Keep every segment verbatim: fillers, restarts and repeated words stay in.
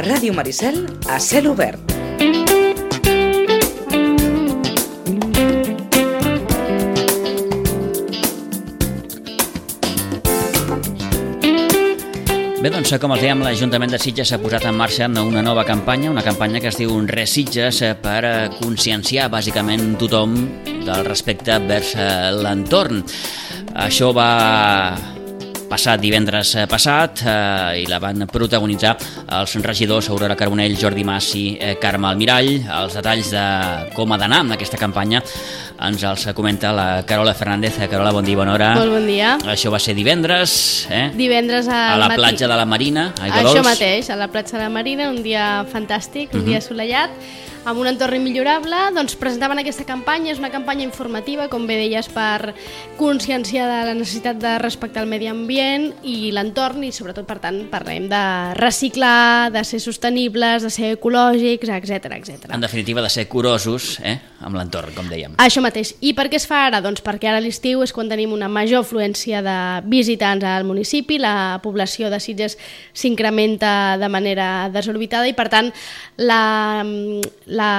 Ràdio Maricel a cel obert. Bé, doncs, com els dèiem, l'Ajuntament de Sitges s'ha posat en marxa una nova campanya, una campanya que es diu Res Sitges, per conscienciar bàsicament tothom del respecte vers l'entorn. Això va passar divendres passat eh, i la van protagonitzar els regidors Aurora Carbonell, Jordi Mas i eh, Carme Almirall. Els detalls de com ha d'anar amb aquesta campanya ens els comenta la Carola Fernández. Carola, bon dia, bona hora. Molt bon dia. Això va ser divendres, eh? Divendres al a la matí. platja de la Marina, a Aigua Això Dols. mateix, a la platja de la Marina, un dia fantàstic, un uh-huh. dia assolellat, amb un entorn immillorable. Doncs presentaven aquesta campanya, és una campanya informativa, com bé deies, per conscienciar de la necessitat de respectar el medi ambient i l'entorn, i sobretot, per tant, parlem de reciclar, de ser sostenibles, de ser ecològics, etcètera, etcètera. En definitiva, de ser curosos, eh? amb l'entorn, com dèiem. Això mateix. I per què es fa ara? Doncs perquè ara l'estiu és quan tenim una major afluència de visitants al municipi, la població de Sitges s'incrementa de manera desorbitada i, per tant, la, la,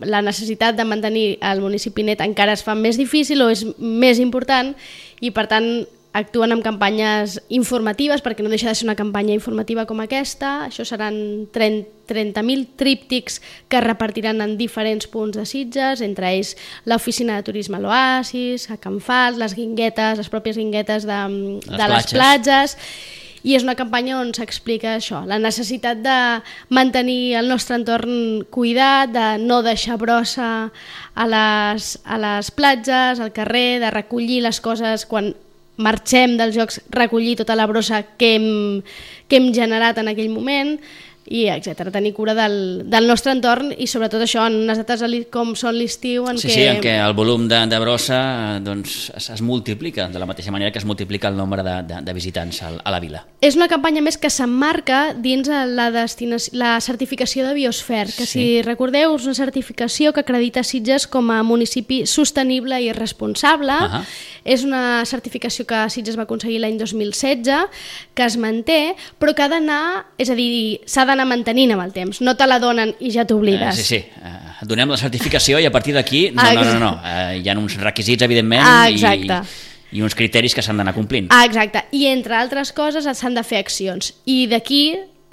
la necessitat de mantenir el municipi net encara es fa més difícil o és més important i, per tant, actuen amb campanyes informatives, perquè no deixa de ser una campanya informativa com aquesta. Això seran trenta mil tríptics que es repartiran en diferents punts de Sitges, entre ells l'oficina de turisme a l'Oasis, a Can Fals, les guinguetes, les pròpies guinguetes de, de les, les platges. I és una campanya on s'explica això, la necessitat de mantenir el nostre entorn cuidat, de no deixar brossa a les, a les platges, al carrer, de recollir les coses quan marxem dels jocs, recollir tota la brossa que hem, que hem generat en aquell moment, i etcètera. Tenir cura del, del nostre entorn i sobretot això en unes dates com són l'estiu en sí, què... Sí, en què el volum de, de brossa doncs, es, es multiplica de la mateixa manera que es multiplica el nombre de, de, de visitants a, a la vila. És una campanya més que s'emmarca dins la, destinació, la certificació de Biosfer, que sí. Si recordeu és una certificació que acredita Sitges com a municipi sostenible i responsable. Uh-huh. És una certificació que Sitges va aconseguir l'any dos mil setze, que es manté, però que ha d'anar, és a dir, s'ha d'anar mantenint amb el temps, no te la donen i ja t'oblides. Uh, sí, sí, uh, donem la certificació i a partir d'aquí, no, no, no, no, uh, hi ha uns requisits, evidentment, ah, i, i uns criteris que s'han d'anar complint. Ah, exacte, i entre altres coses s'han de fer accions, i d'aquí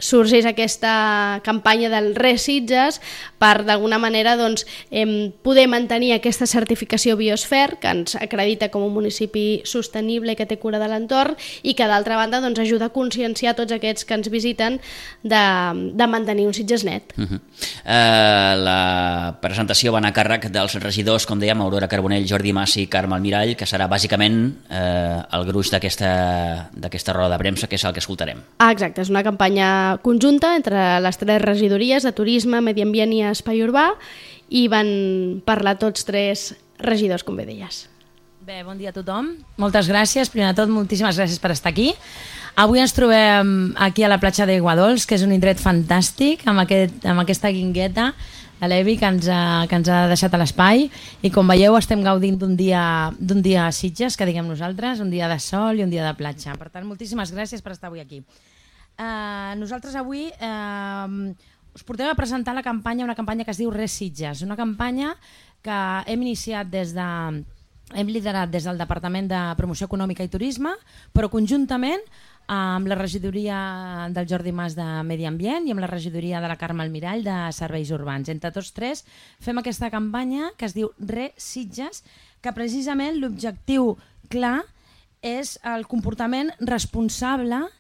sorgeix aquesta campanya del Res Sitges per, d'alguna manera, doncs, eh, poder mantenir aquesta certificació Biosfer, que ens acredita com un municipi sostenible i que té cura de l'entorn, i que, d'altra banda, doncs, ajuda a conscienciar tots aquests que ens visiten de, de mantenir un Sitges net. Uh-huh. uh, la presentació va anar a càrrec dels regidors, com dèiem, Aurora Carbonell, Jordi Mas i Carme Almirall, que serà bàsicament uh, el gruix d'aquesta d'aquesta roda de premsa, que és el que escoltarem. Ah, exacte, és una campanya conjunta entre les tres regidories de Turisme, Medi Ambient i Espai Urbà, i van parlar tots tres regidors, com bé deies. Bé, bon dia a tothom. Moltes gràcies. Primer de tot, moltíssimes gràcies per estar aquí. Avui ens trobem aquí a la platja d'Aigua Dols, que és un indret fantàstic, amb, aquest, amb aquesta guingueta de l'Evi que, ens ha, que ens ha deixat a l'espai, i com veieu estem gaudint d'un dia, d'un dia a Sitges, que diguem nosaltres, un dia de sol i un dia de platja. Per tant, moltíssimes gràcies per estar avui aquí. Uh, nosaltres avui uh, us portem a presentar la campanya, una campanya que es diu Res Sitges, una campanya que hem iniciat des de, hem liderat des del Departament de Promoció Econòmica i Turisme, però conjuntament amb la regidoria del Jordi Mas de Medi Ambient i amb la regidoria de la Carme Almirall de Serveis Urbans. Entre tots tres fem aquesta campanya que es diu Res Sitges, que precisament l'objectiu clar és el comportament responsable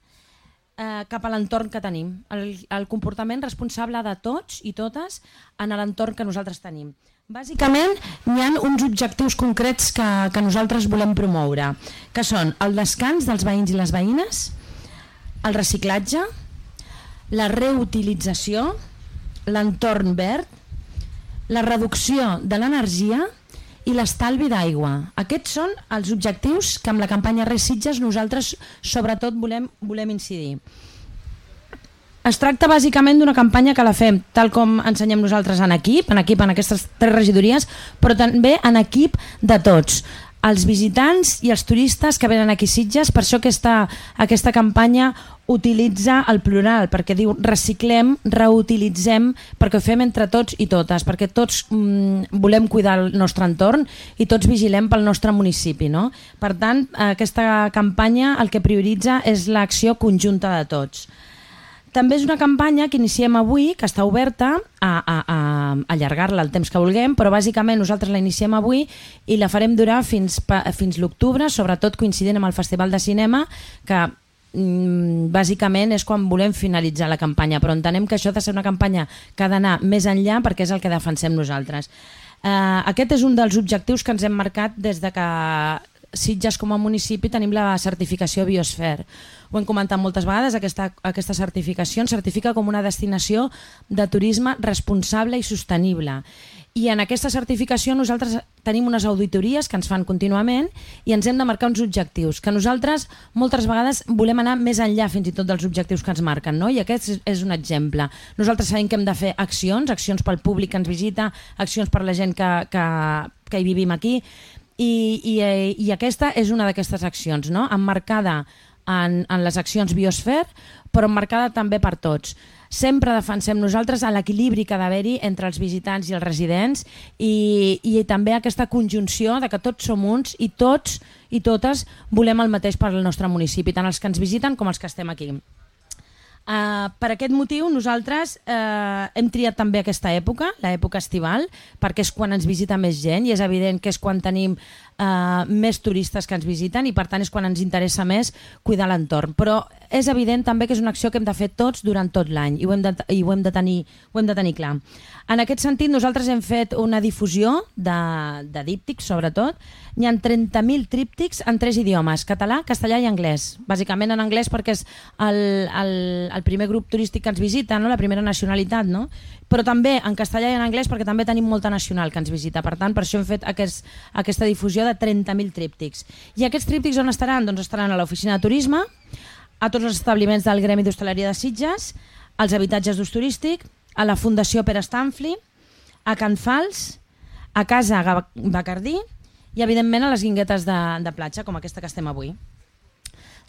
Eh, cap a l'entorn que tenim, el, el comportament responsable de tots i totes en l'entorn que nosaltres tenim. Bàsicament, hi ha uns objectius concrets que, que nosaltres volem promoure, que són el descans dels veïns i les veïnes, el reciclatge, la reutilització, l'entorn verd, la reducció de l'energia i l'estalvi d'aigua. Aquests són els objectius que amb la campanya Res Sitges nosaltres sobretot volem, volem incidir. Es tracta bàsicament d'una campanya que la fem tal com ensenyem nosaltres en equip, en equip en aquestes tres regidories, però també en equip de tots. els visitants i els turistes que venen aquí a Sitges. Per això aquesta, aquesta campanya utilitza el plural, perquè diu reciclem, reutilitzem, perquè ho fem entre tots i totes, perquè tots mm, volem cuidar el nostre entorn i tots vigilem pel nostre municipi, no? Per tant, aquesta campanya el que prioritza és l'acció conjunta de tots. També és una campanya que iniciem avui, que està oberta a, a, a allargar-la el temps que vulguem, però bàsicament nosaltres la iniciem avui i la farem durar fins, fins l'octubre, sobretot coincidint amb el Festival de Cinema, que bàsicament és quan volem finalitzar la campanya, però entenem que això ha de ser una campanya que ha d'anar més enllà perquè és el que defensem nosaltres. Uh, aquest és un dels objectius que ens hem marcat des de que Sitges com a municipi tenim la certificació Biosfer. Ho hem comentat moltes vegades, aquesta, aquesta certificació ens certifica com una destinació de turisme responsable i sostenible. I en aquesta certificació nosaltres tenim unes auditories que ens fan contínuament i ens hem de marcar uns objectius, que nosaltres moltes vegades volem anar més enllà fins i tot dels objectius que ens marquen, no? I aquest és un exemple. Nosaltres sabem que hem de fer accions, accions pel públic que ens visita, accions per la gent que, que, que hi vivim aquí, i, i, i aquesta és una d'aquestes accions, no? Emmarcada en, en les accions Biosfer, però emmarcada també per tots. Sempre defensem nosaltres l'equilibri que ha d'haver-hi entre els visitants i els residents i, i també aquesta conjunció de que tots som uns i tots i totes volem el mateix per al nostre municipi, tant els que ens visiten com els que estem aquí. Uh, per aquest motiu nosaltres uh, hem triat també aquesta època, l'època estival, perquè és quan ens visita més gent i és evident que és quan tenim uh, més turistes que ens visiten i per tant és quan ens interessa més cuidar l'entorn. Però és evident també que és una acció que hem de fer tots durant tot l'any i ho hem de, i ho hem de, tenir, ho hem de tenir clar. En aquest sentit nosaltres hem fet una difusió de, de díptics sobretot. Hi ha trenta mil tríptics en tres idiomes, català, castellà i anglès. Bàsicament en anglès perquè és el, el, el primer grup turístic que ens visita, no? La primera nacionalitat, no? Però també en castellà i en anglès perquè també tenim molta nacional que ens visita. Per tant, per això hem fet aquest, aquesta difusió de trenta mil tríptics. I aquests tríptics on estaran? Doncs estaran a l'oficina de turisme, a tots els establiments del Gremi d'Hostaleria de Sitges, als habitatges d'ús turístic, a la Fundació Pere Stanfli, a Can Fals, a Casa Bacardí i evidentment a les guinguetes de, de platja, com aquesta que estem avui.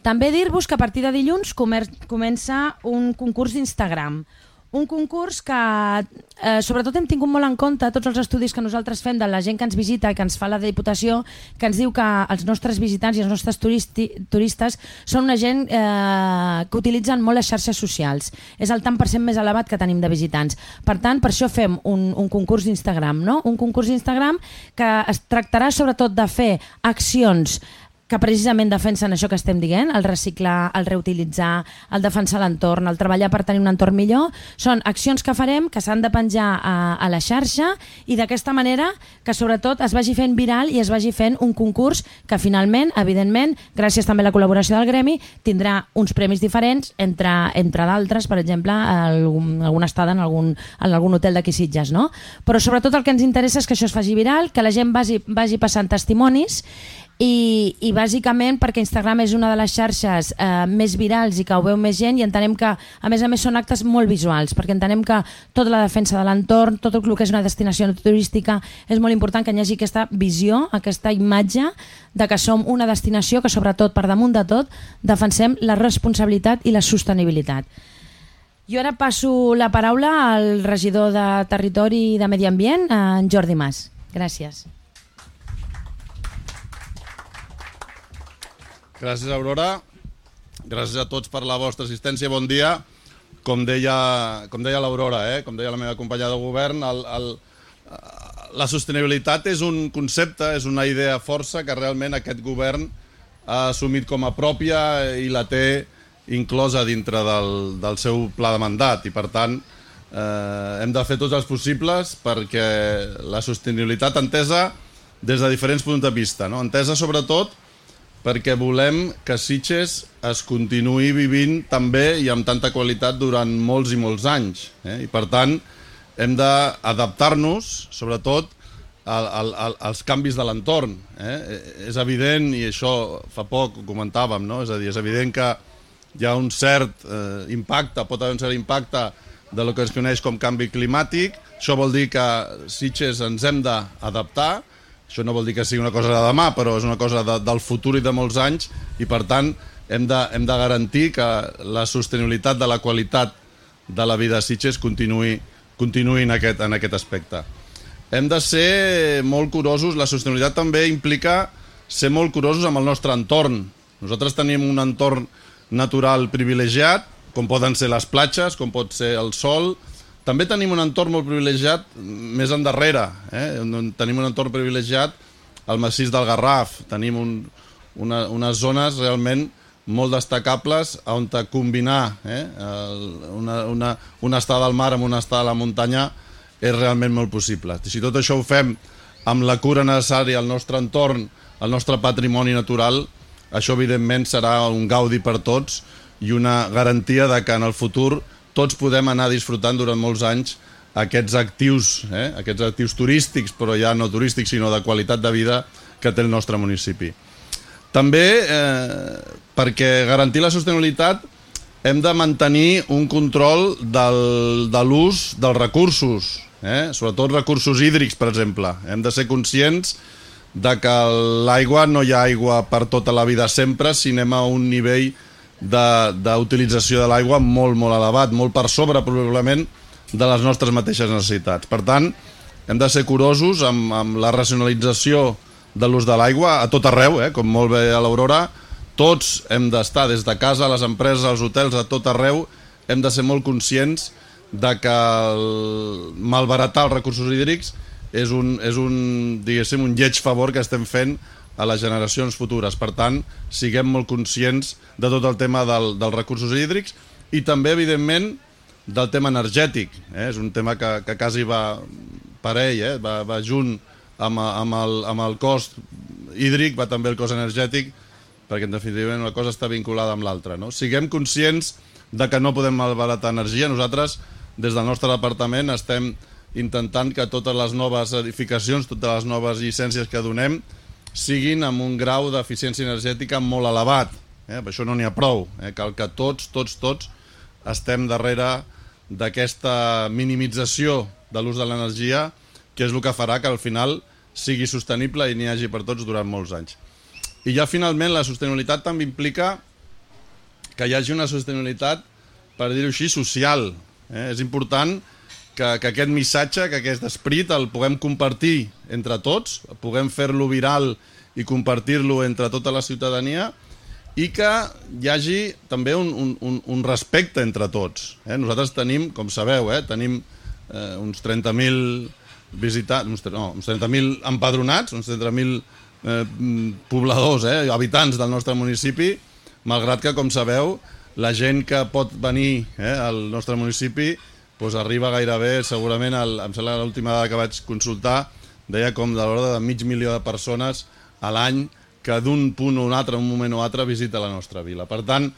També dir-vos que a partir de dilluns comença un concurs d'Instagram. Un concurs que eh, sobretot hem tingut molt en compte tots els estudis que nosaltres fem de la gent que ens visita i que ens fa la Diputació, que ens diu que els nostres visitants i els nostres turisti, turistes són una gent eh, que utilitzen molt les xarxes socials. És el tant per cent més elevat que tenim de visitants. Per tant, per això fem un, un concurs d'Instagram, no? Un concurs d'Instagram que es tractarà sobretot de fer accions que precisament defensen això que estem dient, el reciclar, el reutilitzar, el defensar l'entorn, el treballar per tenir un entorn millor. Són accions que farem, que s'han de penjar a, a la xarxa i d'aquesta manera que sobretot es vagi fent viral i es vagi fent un concurs que finalment, evidentment, gràcies també a la col·laboració del Gremi, tindrà uns premis diferents entre, entre d'altres, per exemple, algun, alguna estada en algun, en algun hotel d'aquí Sitges, no? Però sobretot el que ens interessa és que això es faci viral, que la gent vagi, vagi passant testimonis I, i bàsicament perquè Instagram és una de les xarxes eh, més virals i que ho veu més gent i entenem que a més a més són actes molt visuals perquè entenem que tota la defensa de l'entorn, tot el que és una destinació turística és molt important que hi hagi aquesta visió, aquesta imatge de que som una destinació que sobretot per damunt de tot defensem la responsabilitat i la sostenibilitat. Jo ara passo la paraula al regidor de Territori i de Medi Ambient, en Jordi Mas. Gràcies. Gràcies, Aurora. Gràcies a tots per la vostra assistència. Bon dia. Com deia, com deia l'Aurora, eh? Com deia la meva companya de govern, el, el, la sostenibilitat és un concepte, és una idea força que realment aquest govern ha assumit com a pròpia i la té inclosa dintre del, del seu pla de mandat. I, per tant, eh, hem de fer tots els possibles perquè la sostenibilitat entesa des de diferents punts de vista, no? Entesa sobretot perquè volem que Sitges es continuï vivint també i amb tanta qualitat durant molts i molts anys. Eh? I per tant, hem d'adaptar-nos, sobretot, al, al, als canvis de l'entorn. Eh? És evident, i això fa poc ho comentàvem, no? És a dir, és evident que hi ha un cert eh, impacte, pot haver un cert impacte de lo que es coneix com canvi climàtic. Això vol dir que Sitges ens hem d'adaptar. Això no vol dir que sigui una cosa de demà, però és una cosa de, del futur i de molts anys, i per tant hem de, hem de garantir que la sostenibilitat de la qualitat de la vida a Sitges continuï, continuï en, aquest, en aquest aspecte. Hem de ser molt curosos, la sostenibilitat també implica ser molt curosos amb el nostre entorn. Nosaltres tenim un entorn natural privilegiat, com poden ser les platges, com pot ser el sol. També tenim un entorn molt privilegiat més endarrere. Eh? Tenim un entorn privilegiat al massís del Garraf. Tenim un, una, unes zones realment molt destacables on combinar eh? una, una, una estada al mar amb una estada a la muntanya és realment molt possible. Si tot això ho fem amb la cura necessària al nostre entorn, al nostre patrimoni natural, això evidentment serà un gaudi per tots i una garantia de que en el futur tots podem anar disfrutant durant molts anys aquests actius, eh? aquests actius turístics, però ja no turístics, sinó de qualitat de vida que té el nostre municipi. També, eh, perquè garantir la sostenibilitat, hem de mantenir un control del, de l'ús dels recursos, eh? sobretot recursos hídrics, per exemple. Hem de ser conscients de que l'aigua no hi ha aigua per tota la vida sempre si anem a un nivell d'utilització de, de l'aigua molt, molt elevat, molt per sobre probablement de les nostres mateixes necessitats. Per tant, hem de ser curosos amb, amb la racionalització de l'ús de l'aigua a tot arreu, eh? com molt bé a l'Aurora. Tots hem d'estar, des de casa, a les empreses, als hotels, a tot arreu, hem de ser molt conscients de que el malbaratar els recursos hídrics és un, és un, diguéssim, un lleig favor que estem fent a les generacions futures. Per tant, siguem molt conscients de tot el tema del, dels recursos hídrics i també, evidentment, del tema energètic. Eh? És un tema que, que quasi va parell, eh? va, va junt amb, amb, el, amb el cost hídric, va també el cost energètic, perquè en definitiva una cosa està vinculada amb l'altra. No? Siguem conscients de que no podem malbaratar energia. Nosaltres, des del nostre departament, estem intentant que totes les noves edificacions, totes les noves llicències que donem, siguin amb un grau d'eficiència energètica molt elevat. Eh? Per això no n'hi ha prou. Eh? Cal que tots, tots, tots estem darrere d'aquesta minimització de l'ús de l'energia, que és el que farà que al final sigui sostenible i n'hi hagi per tots durant molts anys. I ja finalment la sostenibilitat també implica que hi hagi una sostenibilitat, per dir-ho així, social. Eh? És important que, que aquest missatge, que aquest esperit el puguem compartir entre tots, puguem fer-lo viral i compartir-lo entre tota la ciutadania i que hi hagi també un, un, un respecte entre tots. Eh? Nosaltres tenim, com sabeu, eh, tenim eh, uns trenta mil visitants, uns, no, uns trenta mil empadronats, uns trenta mil eh, pobladors, eh, habitants del nostre municipi, malgrat que, com sabeu, la gent que pot venir eh, al nostre municipi doncs arriba gairebé, segurament, el, em sembla l'última dada que vaig consultar, deia com de l'ordre de mig milió de persones a l'any que d'un punt o un altre, un moment o altre, visita la nostra vila. Per tant,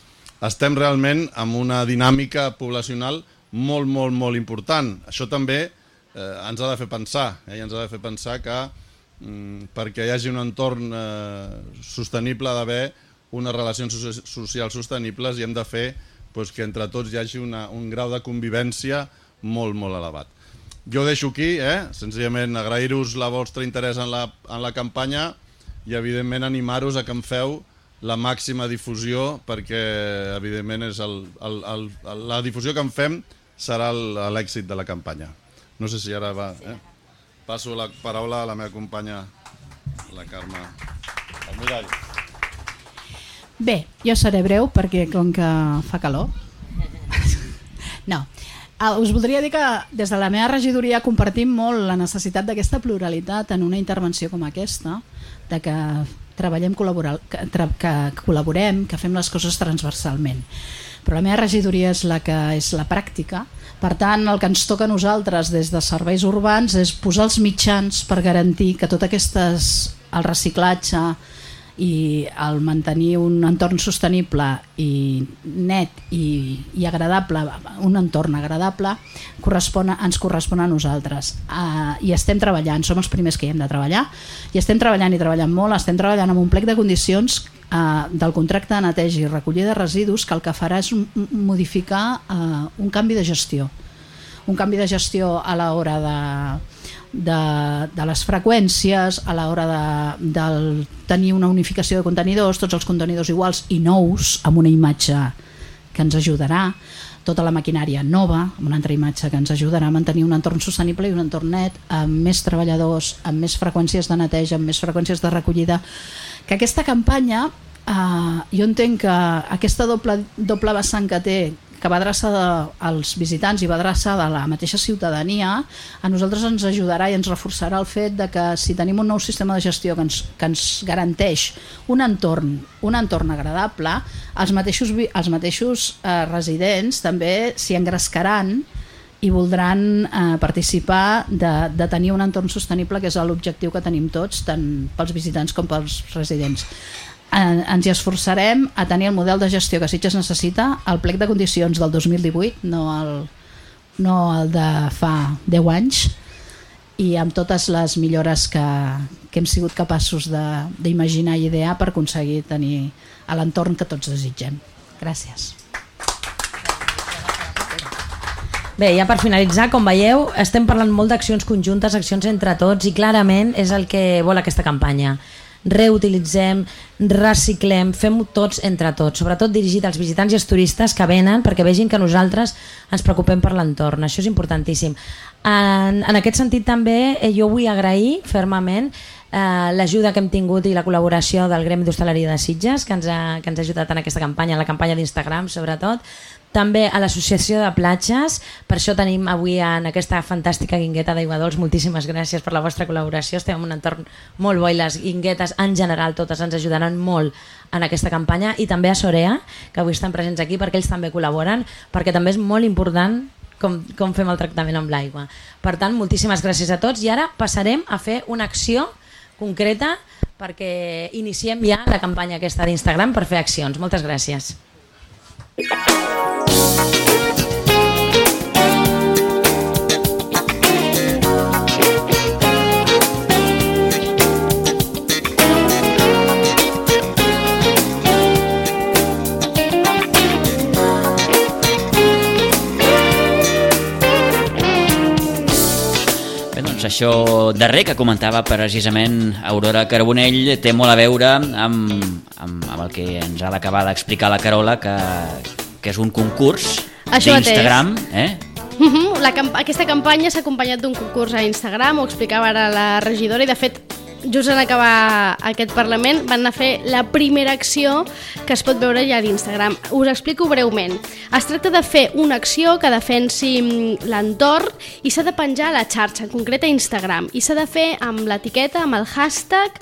estem realment amb una dinàmica poblacional molt, molt, molt important. Això també eh, ens ha de fer pensar, eh? I ens ha de fer pensar que mm, perquè hi hagi un entorn eh, sostenible ha d'haver unes relacions socials sostenibles i hem de fer pues, que entre tots hi hagi una, un grau de convivència molt, molt elevat. Jo ho deixo aquí, eh? Senzillament agrair-vos la vostra interès en la, en la campanya i evidentment animar-vos a que em feu la màxima difusió perquè evidentment és el, el, el, el, la difusió que en fem serà l'èxit de la campanya. No sé si ara va... Eh? Passo la paraula a la meva companya, la Carme Almirall. Bé, jo seré breu perquè com que fa calor. No, us voldria dir que des de la meva regidoria compartim molt la necessitat d'aquesta pluralitat en una intervenció com aquesta, de que treballem, que, que col·laborem, que fem les coses transversalment. Però la meva regidoria és la que és la pràctica. Per tant, el que ens toca a nosaltres des de serveis urbans és posar els mitjans per garantir que tot aquestes, el reciclatge i el mantenir un entorn sostenible i net i, i agradable, un entorn agradable, correspon a, ens correspon a nosaltres. Uh, I estem treballant, som els primers que hi hem de treballar, i estem treballant i treballant molt, estem treballant amb un plec de condicions uh, del contracte de neteja i recollida de residus que el que farà és un, modificar uh, un canvi de gestió. Un canvi de gestió a l'hora de de, de les freqüències, a l'hora de, de tenir una unificació de contenidors, tots els contenidors iguals i nous, amb una imatge que ens ajudarà, tota la maquinària nova, amb una altra imatge que ens ajudarà a mantenir un entorn sostenible i un entorn net, amb més treballadors, amb més freqüències de neteja, amb més freqüències de recollida. Que aquesta campanya, eh, jo entenc que aquesta doble, doble vessant que té, que va adreçada als visitants i va adreçada a la mateixa ciutadania, a nosaltres ens ajudarà i ens reforçarà el fet de que si tenim un nou sistema de gestió que ens, que ens garanteix un entorn, un entorn agradable, els mateixos, els mateixos eh, residents també s'hi engrescaran i voldran eh, participar de, de tenir un entorn sostenible, que és l'objectiu que tenim tots, tant pels visitants com pels residents. Ens hi esforçarem a tenir el model de gestió que Sitges necessita, el plec de condicions del dos mil divuit, no el, no el de fa deu anys, i amb totes les millores que, que hem sigut capaços d'imaginar i idear per aconseguir tenir l'entorn que tots desitgem. Gràcies. Bé, ja per finalitzar, com veieu, estem parlant molt d'accions conjuntes, accions entre tots, i clarament és el que vol aquesta campanya. Reutilitzem, reciclem, fem-ho tots entre tots, sobretot dirigit als visitants i als turistes que venen perquè vegin que nosaltres ens preocupem per l'entorn, això és importantíssim. En, en aquest sentit també eh, jo vull agrair fermament eh, l'ajuda que hem tingut i la col·laboració del Gremi d'Hostaleria de Sitges, que ens ha, que ens ha ajudat en aquesta campanya, en la campanya d'Instagram sobretot, també a l'Associació de Platges, per això tenim avui en aquesta fantàstica guingueta d'Aiguadols. Moltíssimes gràcies per la vostra col·laboració, estem en un entorn molt bo i les guinguetes en general totes ens ajudaran molt en aquesta campanya, i també a Sorea, que avui estan presents aquí perquè ells també col·laboren, perquè també és molt important com, com fem el tractament amb l'aigua. Per tant, moltíssimes gràcies a tots, i ara passarem a fer una acció concreta perquè iniciem ja la campanya aquesta d'Instagram per fer accions. Moltes gràcies. Això darrer que comentava precisament Aurora Carbonell té molt a veure amb, amb, amb el que ens ha d'acabar d'explicar la Carola, que, que és un concurs d'Instagram. Eh? Uh-huh. La camp aquesta campanya s'ha acompanyat d'un concurs a Instagram, ho explicava ara la regidora, i de fet just en acabar aquest Parlament van anar a fer la primera acció que es pot veure ja d'Instagram. Us explico breument. Es tracta de fer una acció que defensi l'entorn i s'ha de penjar a la xarxa, en concret a Instagram, i s'ha de fer amb l'etiqueta, amb el hashtag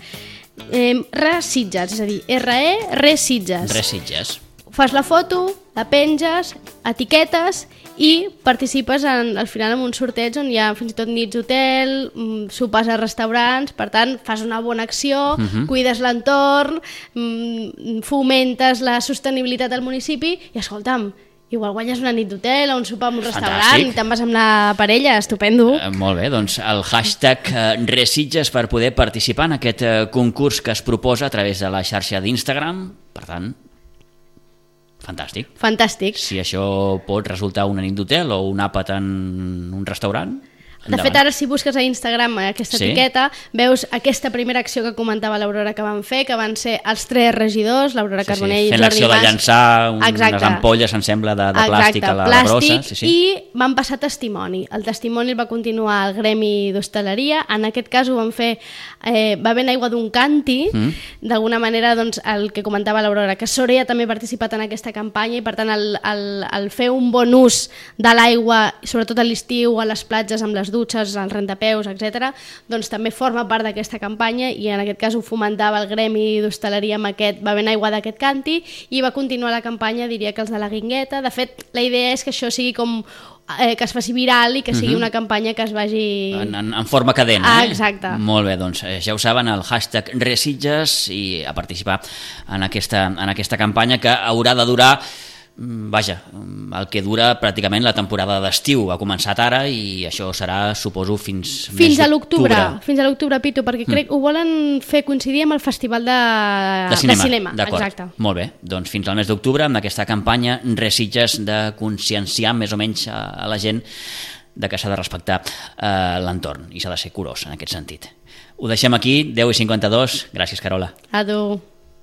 eh, ReSitges, és a dir, R-E, ReSitges. ReSitges. Fas la foto, la penges, etiquetes i participes en, al final en un sorteig on hi ha fins i tot nits d'hotel, sopars a restaurants, per tant fas una bona acció, uh-huh. cuides l'entorn, fomentes la sostenibilitat al municipi i escolta'm, igual guanyes una nit d'hotel o un sopar en un restaurant. Fantàstic. I te'n vas amb la parella, estupendo. Eh, molt bé, doncs el hashtag eh, ReSitges per poder participar en aquest eh, concurs que es proposa a través de la xarxa d'Instagram, per tant, fantàstic. Fantàstic. Si això pot resultar una nit d'hotel o un àpat en un restaurant, de fet, ara si busques a Instagram aquesta sí. etiqueta, veus aquesta primera acció que comentava l'Aurora que van fer, que van ser els tres regidors, l'Aurora sí, Carbonell sí. i Jordi Mas. Fent l'acció de llançar un, unes ampolles, em sembla, de, de plàstic a la, plàstic, la brossa. Sí, sí. I van passar testimoni. El testimoni el va continuar al Gremi d'Hostaleria. En aquest cas ho van fer, eh, va haver aigua d'un canti, mm. d'alguna manera doncs, el que comentava l'Aurora, que Sorea també ha participat en aquesta campanya i per tant el, el, el fer un bon ús de l'aigua, sobretot a l'estiu, a les platges, amb les dutxes, els rentapeus, etcètera, doncs també forma part d'aquesta campanya i en aquest cas ho fomentava el Gremi d'Hostaleria amb aquest, va haver aigua d'aquest canti i va continuar la campanya, diria que els de la guingueta. De fet, la idea és que això sigui com eh, que es faci viral i que sigui uh-huh. una campanya que es vagi... En, en, en forma cadena, ah, eh? Exacte. Molt bé, doncs ja ho saben, el hashtag ReSitges i a participar en aquesta, en aquesta campanya que haurà de durar vaja, el que dura pràcticament la temporada d'estiu. Ha començat ara i això serà, suposo, fins fins a l'octubre. Fins a l'octubre, Pitu, perquè crec que mm. ho volen fer coincidir amb el Festival de, de cinema. De cinema. Exacte. Molt bé, doncs fins al mes d'octubre amb aquesta campanya ReSitges de conscienciar més o menys a la gent de que s'ha de respectar eh, l'entorn i s'ha de ser curós en aquest sentit. Ho deixem aquí, deu i cinquanta-dos. Gràcies, Carola. Adéu.